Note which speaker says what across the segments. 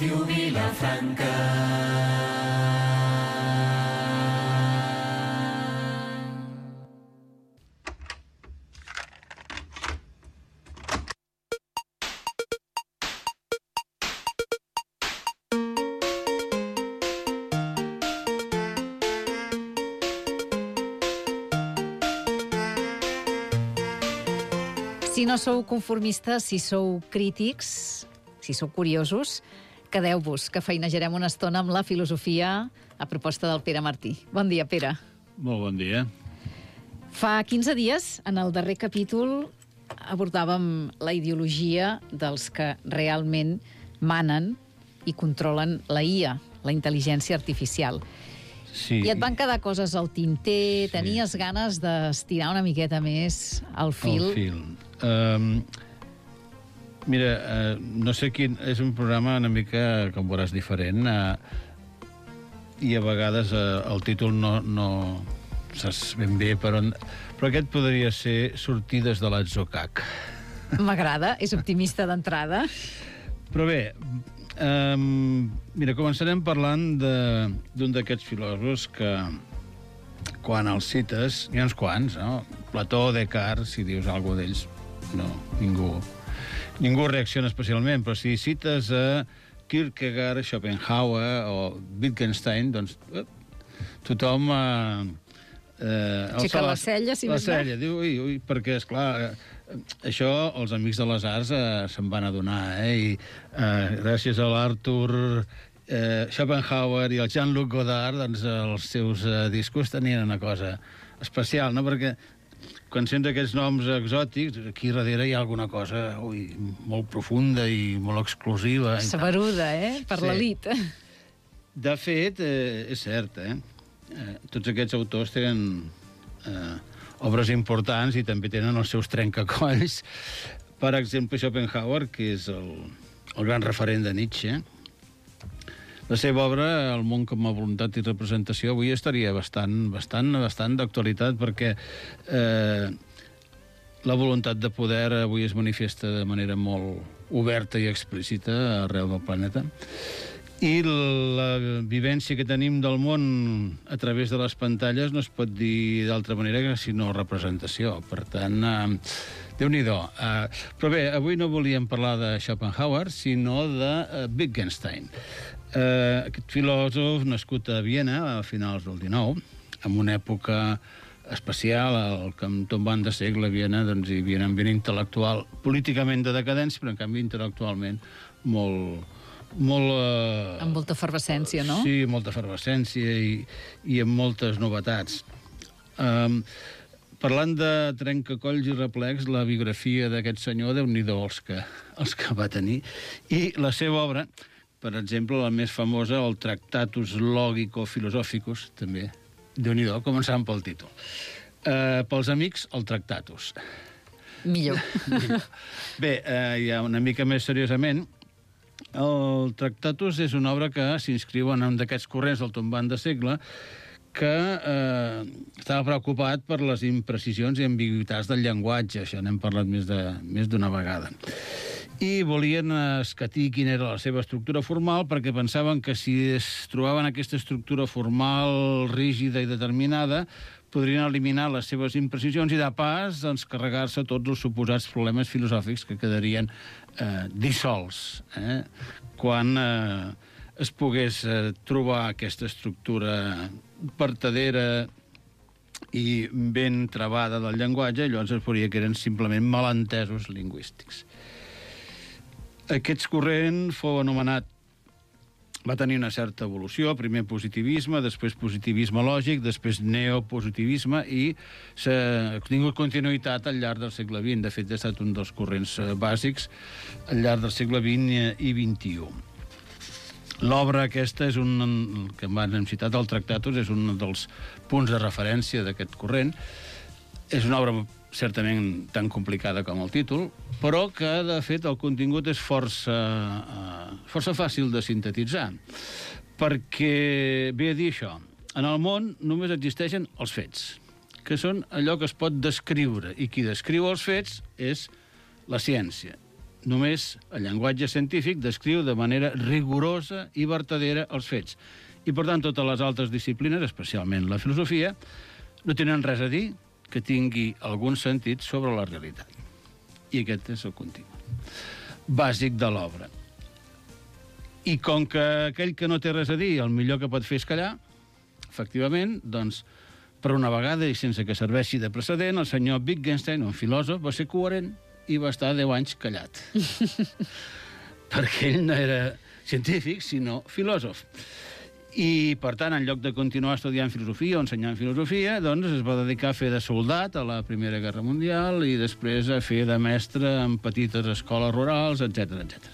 Speaker 1: Ràdio Vilafranca.
Speaker 2: Si no sou conformistes, si sou crítics, si sou curiosos, quedeu-vos, que feinejarem una estona amb la filosofia a proposta del Pere Martí. Bon dia, Pere.
Speaker 3: Molt bon dia.
Speaker 2: Fa 15 dies, en el darrer capítol, abordàvem la ideologia dels que realment manen i controlen la IA, la intel·ligència artificial.
Speaker 3: Sí.
Speaker 2: I et van quedar coses al tinter, tenies ganes d'estirar una miqueta més el fil.
Speaker 3: El fil. Mira, no sé quin... És un programa una mica, com veuràs, diferent, i a vegades el títol no saps ben bé per on... Però aquest podria ser Sortides de l'Atzocac.
Speaker 2: M'agrada, és optimista d'entrada.
Speaker 3: Però bé, mira, començarem parlant d'un d'aquests filòsofs que, quan els cites, hi ha uns quants, no? Plató, Descartes, si dius alguna d'ells, no, ningú reacciona especialment, però si cites a Kierkegaard, Schopenhauer o Wittgenstein, doncs tothom...
Speaker 2: Aixeca la cella, si més no.
Speaker 3: La cella, diu, ui, perquè, esclar, això els amics de les arts se'n van adonar, i gràcies a l'Arthur Schopenhauer i el Jean-Luc Godard, doncs els seus discos tenien una cosa especial, no? Perquè quan sents aquests noms exòtics, aquí darrere hi ha alguna cosa molt profunda i molt exclusiva.
Speaker 2: Saberuda, per l'elit.
Speaker 3: De fet, és cert, tots aquests autors tenen obres importants i també tenen els seus trencacolls. Per exemple, Schopenhauer, que és el gran referent de Nietzsche, la seva obra, El món com a voluntat i representació, avui estaria bastant d'actualitat, perquè la voluntat de poder avui es manifesta de manera molt oberta i explícita arreu del planeta. I la vivència que tenim del món a través de les pantalles no es pot dir d'altra manera que sinó representació. Per tant, Déu-n'hi-do. Però bé, avui no volíem parlar de Schopenhauer, sinó de Wittgenstein. Aquest filòsof nascut a Viena a finals del XIX, en una època especial, al tombant de segle, a Viena, doncs hi havia un ambient intel·lectual políticament de decadència, però en canvi intel·lectualment molt
Speaker 2: amb molta efervescència, no?
Speaker 3: Sí, molta efervescència i amb moltes novetats. Parlant de trencacolls i replecs, la biografia d'aquest senyor, Déu-n'hi-do els que va tenir, i la seva obra, per exemple, la més famosa, el Tractatus Logico-Philosophicus, també, Déu-n'hi-do, començant pel títol. Pels amics, el Tractatus.
Speaker 2: Millor.
Speaker 3: Bé, ja una mica més seriosament, el Tractatus és una obra que s'inscriu en un d'aquests corrents del tombant de segle que estava preocupat per les imprecisions i ambigüitats del llenguatge. Això n'hem parlat més d'una vegada. I volien escatir quina era la seva estructura formal, perquè pensaven que si es trobaven aquesta estructura formal rígida i determinada, podrien eliminar les seves imprecisions i, de pas, doncs, carregar-se tots els suposats problemes filosòfics que quedarien dissolts quan es pogués trobar aquesta estructura vertadera i ben travada del llenguatge, llavors es veuria que eren simplement malentesos lingüístics. Aquest corrent fou anomenat, va tenir una certa evolució, primer positivisme, després positivisme lògic, després neopositivisme, i s'ha tingut continuïtat al llarg del segle XX. De fet, ha estat un dels corrents bàsics al llarg del segle XX i XXI. L'obra aquesta és que hem citat, el Tractatus, és un dels punts de referència d'aquest corrent. És una obra certament tan complicada com el títol, però que, de fet, el contingut és força fàcil de sintetitzar, perquè ve a dir això. En el món només existeixen els fets, que són allò que es pot descriure, i qui descriu els fets és la ciència. Només el llenguatge científic descriu de manera rigorosa i vertadera els fets. I, per tant, totes les altres disciplines, especialment la filosofia, no tenen res a dir que tingui algun sentit sobre la realitat. I aquest és el continu bàsic de l'obra. I com que aquell que no té res a dir, el millor que pot fer és callar, efectivament, doncs, per una vegada, i sense que serveixi de precedent, el senyor Wittgenstein, un filòsof, va ser coherent i va estar 10 anys callat. Perquè ell no era científic, sinó filòsof. I, per tant, en lloc de continuar estudiant filosofia o ensenyant filosofia, doncs es va dedicar a fer de soldat a la Primera Guerra Mundial i després a fer de mestre en petites escoles rurals, etc etc.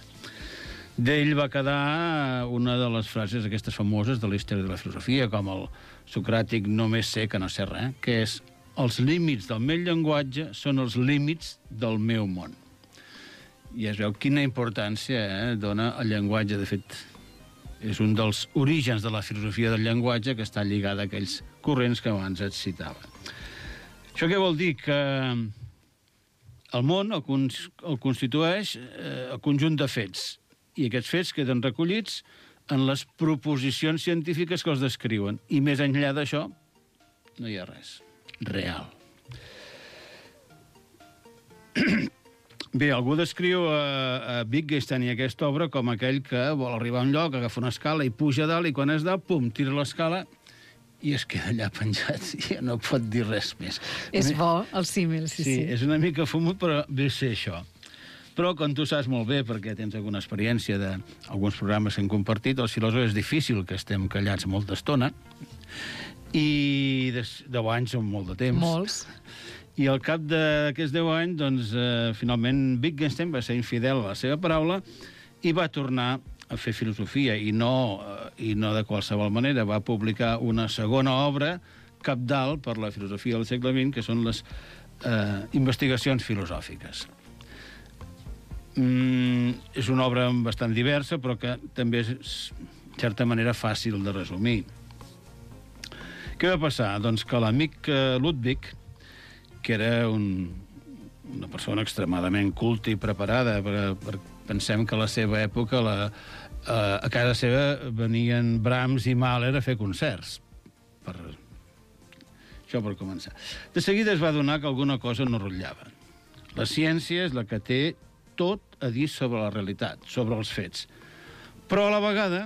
Speaker 3: D'ell va quedar una de les frases aquestes famoses de la història de la filosofia, com el socràtic només sé que no sé res, que és els límits del meu llenguatge són els límits del meu món. I es veu quina importància dona el llenguatge. De fet, és un dels orígens de la filosofia del llenguatge que està lligada a aquells corrents que abans et citava. Això què vol dir? Que el món el constitueix el conjunt de fets, i aquests fets queden recollits en les proposicions científiques que els descriuen. I més enllà d'això, no hi ha res real. Bé, algú descriu a Wittgenstein i aquesta obra com aquell que vol arribar a un lloc, agafa una escala i puja a dalt, i quan és dalt, pum, tira l'escala i es queda allà penjat i ja no pot dir res més.
Speaker 2: És bo, el símil, sí.
Speaker 3: Sí, és una mica fumut, però ve ser això. Però, com tu saps molt bé, perquè tens alguna experiència d'alguns programes que hem compartit, els filòsofs és difícil que estem callats molta estona, i 10 anys són molt de temps.
Speaker 2: Molts.
Speaker 3: I al cap d'aquests 10 anys, doncs, finalment, Wittgenstein va ser infidel a la seva paraula i va tornar a fer filosofia, i no de qualsevol manera. Va publicar una segona obra cabdal per la filosofia del segle XX, que són les investigacions filosòfiques. És una obra bastant diversa, però que també és, en certa manera, fàcil de resumir. Què va passar? Doncs que l'amic Ludwig, que era una persona extremadament culta i preparada, pensem que a la seva època a casa seva venien Brahms i Mahler a fer concerts. Això per començar. De seguida es va adonar que alguna cosa no rotllava. La ciència és la que té tot a dir sobre la realitat, sobre els fets. Però a la vegada,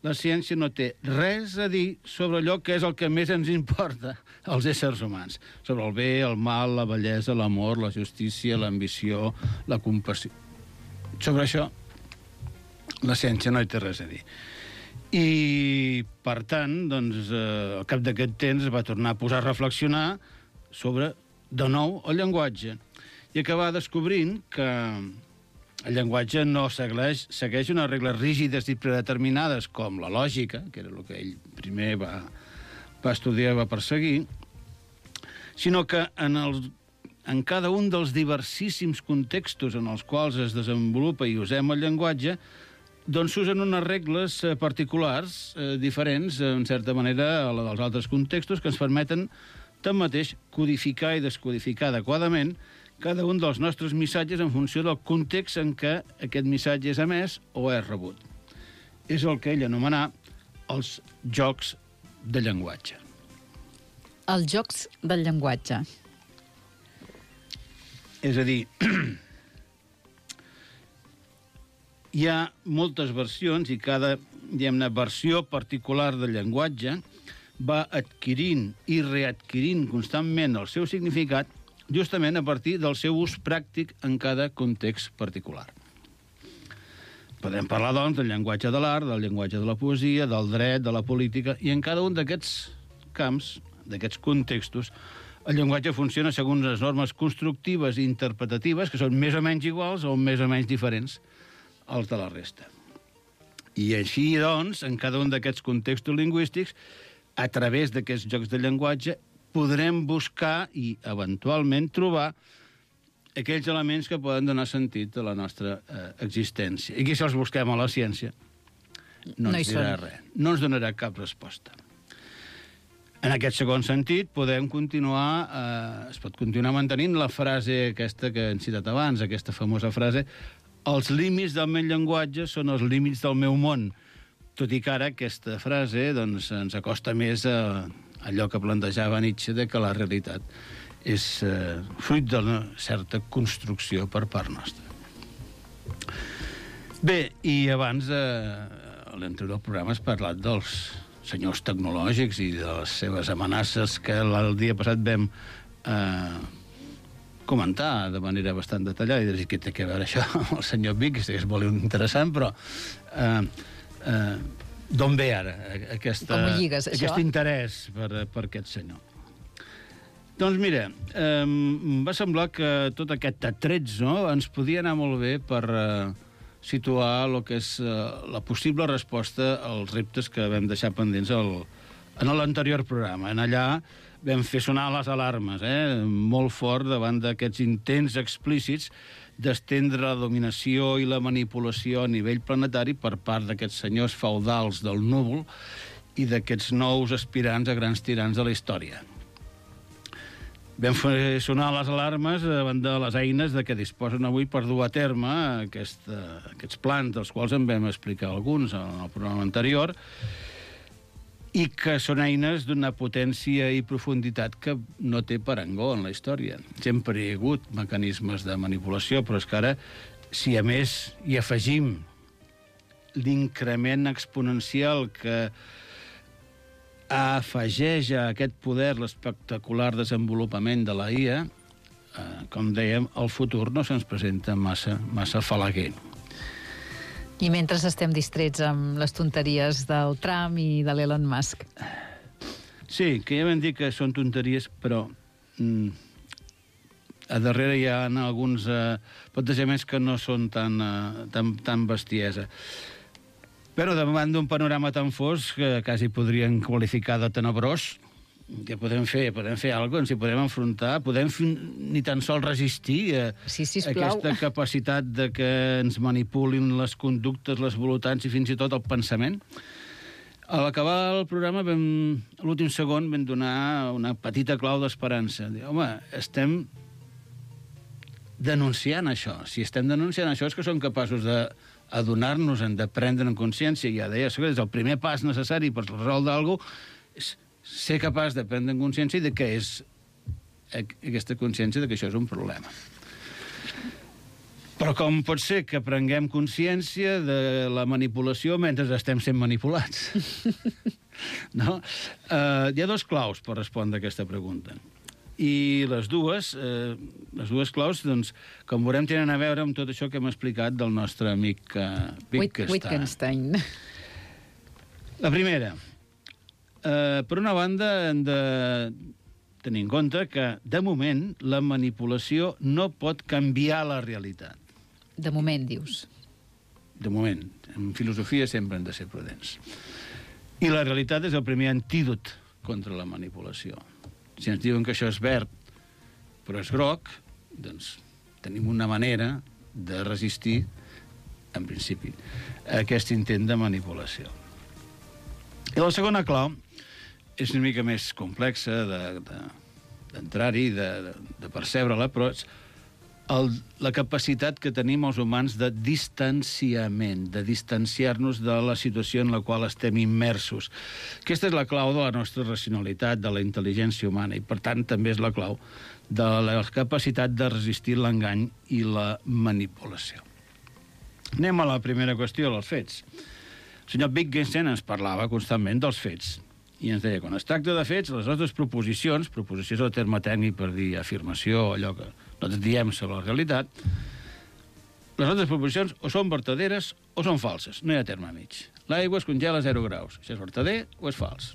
Speaker 3: la ciència no té res a dir sobre allò que és el que més ens importa als éssers humans. Sobre el bé, el mal, la bellesa, l'amor, la justícia, l'ambició, la compassió. Sobre això, la ciència no hi té res a dir. I, per tant, doncs, al cap d'aquest temps va tornar a posar a reflexionar sobre, de nou, el llenguatge. I acabar descobrint que el llenguatge no segueix unes regles rígides i predeterminades com la lògica, que era el que ell primer va estudiar i va perseguir, sinó que en cada un dels diversissíssims contextos en els quals es desenvolupa i usem el llenguatge, doncs s'usen unes regles particulars, diferents, en certa manera, a la dels altres contextos, que ens permeten, tanmateix, codificar i descodificar adequadament cada un dels nostres missatges en funció del context en què aquest missatge és emès o és rebut. És el que ell anomenà els jocs de llenguatge.
Speaker 2: Els jocs del llenguatge.
Speaker 3: És a dir, hi ha moltes versions i cada, diguem-ne, versió particular del llenguatge va adquirint i readquirint constantment el seu significat justament a partir del seu ús pràctic en cada context particular. Podem parlar, doncs, del llenguatge de l'art, del llenguatge de la poesia, del dret, de la política, i en cada un d'aquests camps, d'aquests contextos, el llenguatge funciona segons les normes constructives i interpretatives, que són més o menys iguals o més o menys diferents als de la resta. I així, doncs, en cada un d'aquests contextos lingüístics, a través d'aquests jocs de llenguatge, podrem buscar i, eventualment, trobar aquells elements que poden donar sentit a la nostra existència. I que si els busquem a la ciència no ens dirà res. No ens donarà cap resposta. En aquest segon sentit, podem continuar, es pot continuar mantenint la frase aquesta que hem citat abans, aquesta famosa frase, Els límits del meu llenguatge són els límits del meu món, tot i que ara aquesta frase doncs, ens acosta més a allò que plantejava Nietzsche, de que la realitat és fruit d'una certa construcció per part nostra. Bé, i abans, a l'anterior programa has parlat dels senyors tecnològics i de les seves amenaces que el dia passat vam comentar de manera bastant detallada, i dir què té a veure això amb el senyor Vic, que és molt interessant, però d'on ve ara aquest interès per aquest senyor? Doncs mira, em va semblar que tot aquest atrets, no?, ens podia anar molt bé per situar el que és la possible resposta als reptes que vam deixar pendents en l'anterior programa. En allà vam fer sonar les alarmes, molt fort davant d'aquests intents explícits d'estendre la dominació i la manipulació a nivell planetari per part d'aquests senyors feudals del núvol i d'aquests nous aspirants a grans tirans de la història. Vam fer sonar les alarmes davant de les eines de què disposen avui per dur a terme aquests plans, dels quals en vam explicar alguns en el programa anterior, i que són eines d'una potència i profunditat que no té parangó en la història. Sempre hi ha hagut mecanismes de manipulació, però és que ara, si a més hi afegim l'increment exponencial que afegeix a aquest poder l'espectacular desenvolupament de la IA, com dèiem, el futur no se'ns presenta massa falaguer.
Speaker 2: I mentre estem distrets amb les tonteries del Trump i de l'Elon Musk.
Speaker 3: Sí, que ja vam dir que són tonteries, però a darrere hi ha alguns plantejaments que no són tan bestiesa. Però davant d'un panorama tan fosc que quasi podrien qualificar de tenebrós, què podem fer? Podem fer alguna cosa, ens hi podem enfrontar, podem ni tan sols resistir a aquesta capacitat de que ens manipulin les conductes, les voluntats i fins i tot el pensament. A l'acabar el programa, a l'últim segon, vam donar una petita clau d'esperança. Home, estem denunciant això. Si estem denunciant això és que som capaços d'adonar-nos-en, de prendre en consciència. Ja deia, és el primer pas necessari per resoldre alguna cosa, és ser capaç de prendre en consciència de què és aquesta consciència de que això és un problema. Però com pot ser que prenguem consciència de la manipulació mentre estem sent manipulats? No? Hi ha dos claus per respondre a aquesta pregunta. I les dues claus, doncs, com veurem, tenen a veure amb tot això que hem explicat del nostre amic
Speaker 2: Wittgenstein.
Speaker 3: La primera, per una banda, hem de tenir en compte que, de moment, la manipulació no pot canviar la realitat.
Speaker 2: De moment, dius?
Speaker 3: De moment. En filosofia sempre hem de ser prudents. I la realitat és el primer antídot contra la manipulació. Si ens diuen que això és verd, però és groc, doncs tenim una manera de resistir, en principi, a aquest intent de manipulació. I la segona clau és una mica més complexa d'entrar-hi, de percebre-la, però és la capacitat que tenim els humans de distanciament, de distanciar-nos de la situació en la qual estem immersos. Aquesta és la clau de la nostra racionalitat, de la intel·ligència humana, i per tant també és la clau de la capacitat de resistir l'engany i la manipulació. Anem a la primera qüestió, els fets. El senyor Wittgenstein ens parlava constantment dels fets, i ens deia, quan es tracta de fets, les nostres proposicions, proposició és el terme tècnic per dir afirmació, allò que nosaltres diem sobre la realitat, les nostres proposicions o són vertaderes o són falses, no hi ha terme mig. L'aigua es congela a 0 graus, això és vertader o és fals.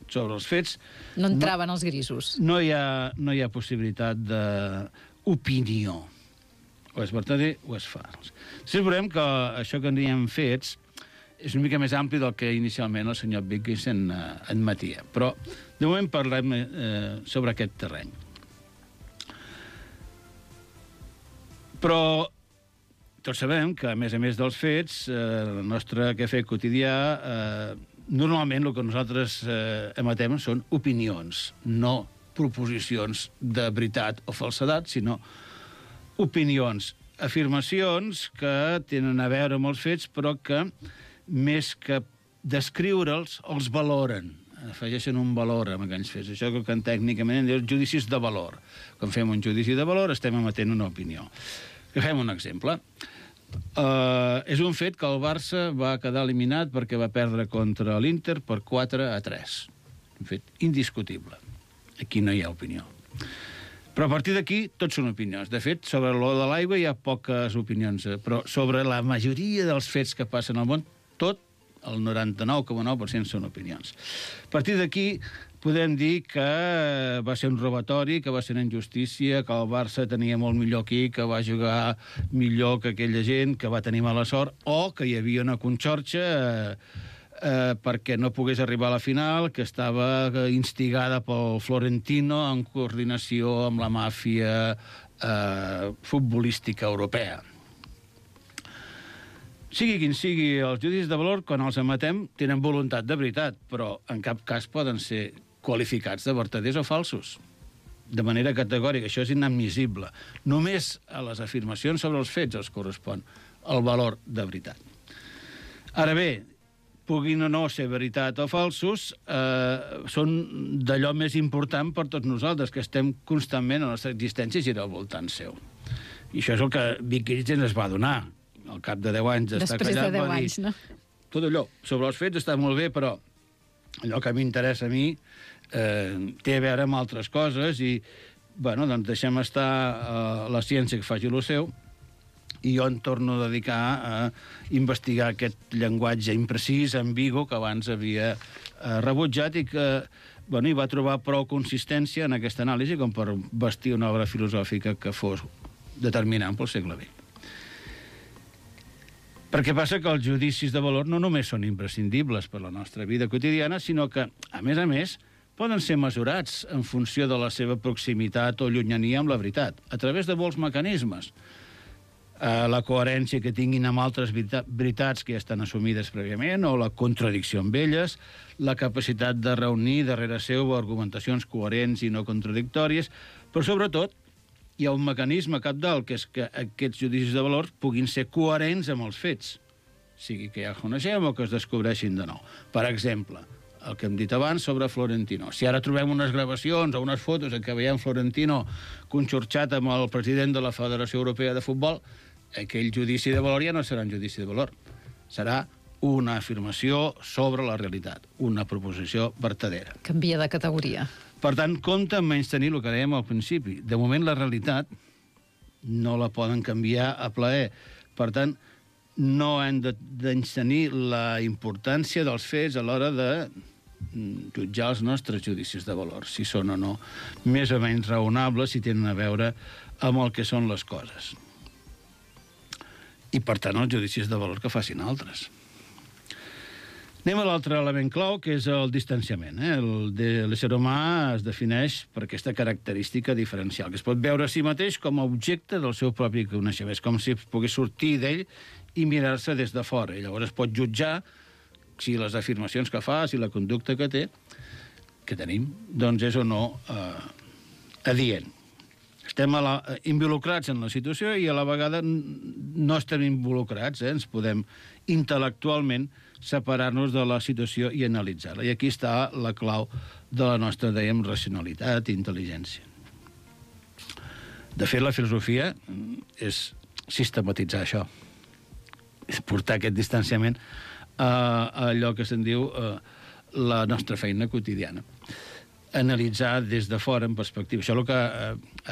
Speaker 3: Sobre els fets...
Speaker 2: No entraven els grisos.
Speaker 3: No hi ha possibilitat d'opinió. O és vertader o és fals. Després veurem que això que en diem fets és una mica més ampli del que inicialment el senyor Wittgenstein admetia. Però, de moment, parlem sobre aquest terreny. Però tots sabem que, a més dels fets, el nostre quefer quotidià, normalment el que nosaltres emetem són opinions, no proposicions de veritat o falsedat, sinó opinions. afirmacions que tenen a veure amb els fets, però que, més que descriure'ls, els valoren. Afegeixen un valor amb aquells fets. Això que tècnicament en diu judicis de valor. Quan fem un judici de valor estem emetent una opinió. Agafem un exemple. És un fet que el Barça va quedar eliminat perquè va perdre contra l'Inter per 4-3. Un fet indiscutible. Aquí no hi ha opinió. Però a partir d'aquí tot són opinions. De fet, sobre l'or de l'aigua hi ha poques opinions, però sobre la majoria dels fets que passen al món, tot, el 99,9% són opinions. A partir d'aquí podem dir que va ser un robatori, que va ser una injustícia, que el Barça tenia molt millor aquí, que va jugar millor que aquella gent, que va tenir mala sort, o que hi havia una conxorxa perquè no pogués arribar a la final, que estava instigada pel Florentino en coordinació amb la màfia futbolística europea. Sigui quin sigui, els judicis de valor, quan els emetem, tenen voluntat de veritat, però en cap cas poden ser qualificats de vertaders o falsos. De manera categòrica, això és inadmissible. Només a les afirmacions sobre els fets els correspon el valor de veritat. Ara bé, puguin o no ser veritat o falsos, són d'allò més important per tots nosaltres, que estem constantment, la nostra existència gira al voltant seu. I això és el que Wikileaks es va donar. Al cap de 10 anys d'estar callat,
Speaker 2: després de 10 anys, no?
Speaker 3: Tot allò, sobre els fets està molt bé, però allò que m'interessa a mi té a veure amb altres coses i, bueno, doncs deixem estar la ciència que faci el seu i jo em torno a dedicar a investigar aquest llenguatge imprecís, ambigu, que abans havia rebutjat i que, bueno, hi va trobar prou consistència en aquesta anàlisi com per vestir una obra filosòfica que fos determinant pel segle XX. Perquè passa que els judicis de valor no només són imprescindibles per la nostra vida quotidiana, sinó que, a més, poden ser mesurats en funció de la seva proximitat o llunyania amb la veritat, a través de molts mecanismes. La coherència que tinguin amb altres veritats que ja estan assumides prèviament, o la contradicció amb elles, la capacitat de reunir darrere seu argumentacions coherents i no contradictòries, però sobretot hi ha un mecanisme cabdal, que és que aquests judicis de valor puguin ser coherents amb els fets, sigui que ja coneixem o que es descobreixin de nou. Per exemple, el que hem dit abans sobre Florentino. Si ara trobem unes gravacions o unes fotos en què veiem Florentino conxorxat amb el president de la Federació Europea de Futbol, aquell judici de valor ja no serà un judici de valor. Serà una afirmació sobre la realitat, una proposició vertadera.
Speaker 2: Canvia de categoria.
Speaker 3: Per tant, compte amb menys tenir el que dèiem al principi. De moment, la realitat no la poden canviar a plaer. Per tant, no hem de tenir la importància dels fets a l'hora de jutjar els nostres judicis de valor, si són o no més o menys raonables, si tenen a veure amb el que són les coses. I, per tant, els judicis de valor que facin altres. Anem a l'altre element clau, que és el distanciament. L'ésser humà es defineix per aquesta característica diferencial, que es pot veure a si mateix com a objecte del seu propi coneixement. És com si pogués sortir d'ell i mirar-se des de fora. I llavors es pot jutjar si les afirmacions que fa, si la conducta que té, que tenim, doncs és o no adient. Estem involucrats en la situació i a la vegada no estem involucrats. Ens podem intel·lectualment separar-nos de la situació i analitzar-la. I aquí està la clau de la nostra, dèiem, racionalitat i intel·ligència. De fet, la filosofia és sistematitzar això. És portar aquest distanciament a allò que se'n diu la nostra feina quotidiana. Analitzar des de fora en perspectiva. Això és el que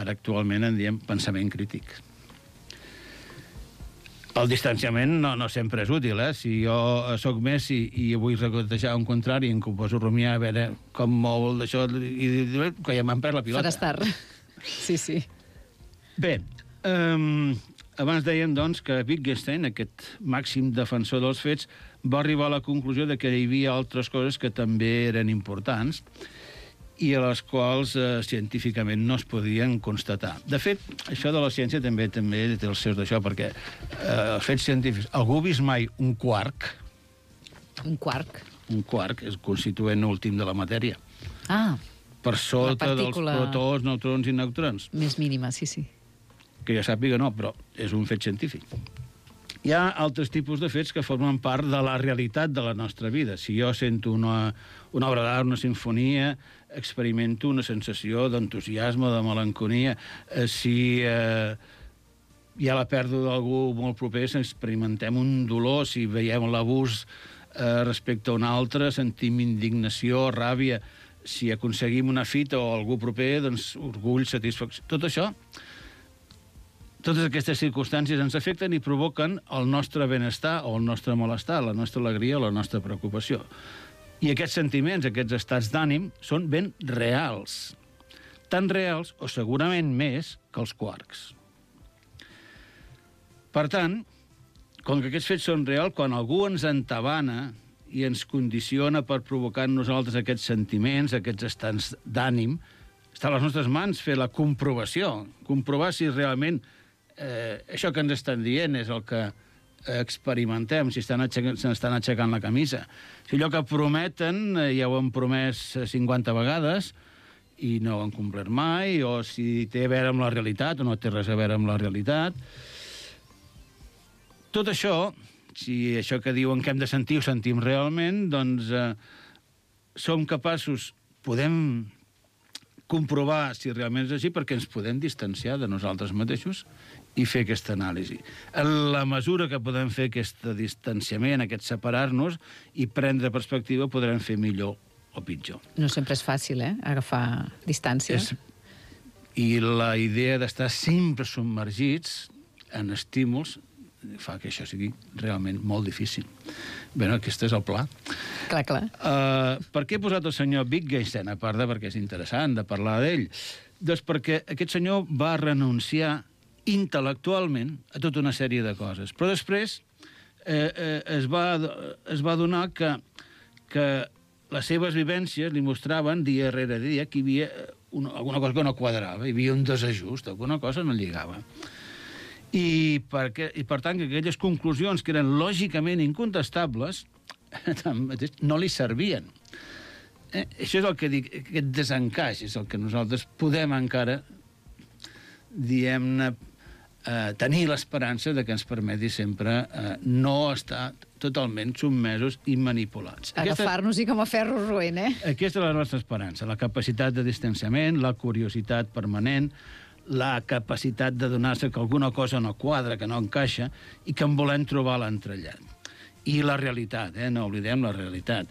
Speaker 3: ara actualment en diem pensament crític. El distanciament no sempre és útil, Si jo sóc Messi i vull regotejar un contrari i em poso a rumiar a veure com mou d'això i que ja m'han perdut la pilota.
Speaker 2: Faràs tard. Sí.
Speaker 3: Bé, abans dèiem, doncs, que Wittgenstein, aquest màxim defensor dels fets, va arribar a la conclusió de que hi havia altres coses que també eren importants i a les quals científicament no es podien constatar. De fet, això de la ciència també té els seus d'això, perquè els fets científics... Algú ha vist mai un quark?
Speaker 2: Un quark?
Speaker 3: Un quark és el constituent últim de la matèria.
Speaker 2: Ah,
Speaker 3: per sota dels protons, neutrons i neutrons.
Speaker 2: Més mínima, sí.
Speaker 3: Que jo sàpiga no, però és un fet científic. Hi ha altres tipus de fets que formen part de la realitat de la nostra vida. Si jo sento una obra d'art, una sinfonia, experimento una sensació d'entusiasme, de melancolia. Si hi ha la pèrdua d'algú molt proper, experimentem un dolor. Si veiem l'abús respecte a un altre, sentim indignació, ràbia. Si aconseguim una fita o algú proper, doncs orgull, satisfacció. Tot això, totes aquestes circumstàncies ens afecten i provoquen el nostre benestar o el nostre malestar, la nostra alegria o la nostra preocupació. I aquests sentiments, aquests estats d'ànim, són ben reals. Tan reals, o segurament més, que els quarks. Per tant, com que aquests fets són reals, quan algú ens entabana i ens condiciona per provocar en nosaltres aquests sentiments, aquests estats d'ànim, està a les nostres mans fer la comprovació, comprovar si realment això que ens estan dient és el que experimentem, si s'estan aixecant la camisa. Si allò que prometen ja ho han promès 50 vegades i no ho han complert mai, o si té a veure amb la realitat o no té res a veure amb la realitat. Tot això, si això que diuen que hem de sentir ho sentim realment, doncs som capaços, podem comprovar si realment és així, perquè ens podem distanciar de nosaltres mateixos i fer aquesta anàlisi. En la mesura que podem fer aquest distanciament, aquest separar-nos i prendre perspectiva, podrem fer millor o pitjor.
Speaker 2: No sempre és fàcil, agafar distància.
Speaker 3: I la idea d'estar sempre submergits en estímuls fa que això sigui realment molt difícil. Bé, aquest és el pla.
Speaker 2: Clar, clar.
Speaker 3: Per què he posat el senyor Wittgenstein, a part de perquè és interessant de parlar d'ell? Doncs perquè aquest senyor va renunciar intel·lectualment a tota una sèrie de coses. Però després es va adonar que les seves vivències li mostraven dia rere dia que hi havia alguna cosa que no quadrava, hi havia un desajust, alguna cosa no lligava. I per tant, que aquelles conclusions que eren lògicament incontestables no li servien. Això és el que dic, aquest desencaix és el que nosaltres podem encara, diguem-ne, tenir l'esperança de que ens permeti sempre no estar totalment submesos i manipulats.
Speaker 2: Agafar-nos-hi com a ferro roent,
Speaker 3: Aquesta és la nostra esperança, la capacitat de distanciament, la curiositat permanent, la capacitat de donar-se que alguna cosa no quadra, que no encaixa, i que en volem trobar l'entrellat. I la realitat, no oblidem la realitat.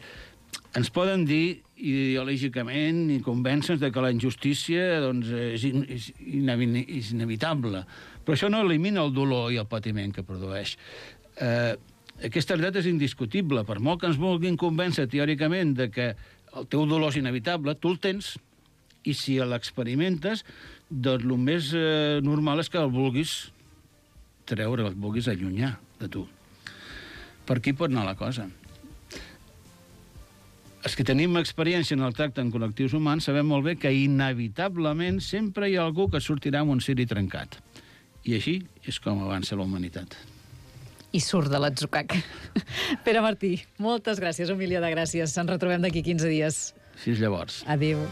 Speaker 3: Ens poden dir ideològicament i convèncer-nos de que la injustícia és inevitable, però això no elimina el dolor i el patiment que produeix. Aquesta realitat és indiscutible. Per molt que ens vulguin convèncer teòricament de que el teu dolor és inevitable, tu el tens, i si l'experimentes, doncs el més normal és que el vulguis treure, el vulguis allunyar de tu. Per aquí pot anar la cosa. Els que tenim experiència en el tracte amb col·lectius humans sabem molt bé que inevitablement sempre hi ha algú que sortirà amb un ciri trencat. I així és com avança la humanitat.
Speaker 2: I surt de l'atzucac. Pere Martí, moltes gràcies, un milió de gràcies. Ens retrobem d'aquí 15 dies.
Speaker 3: Fins llavors.
Speaker 2: Adéu.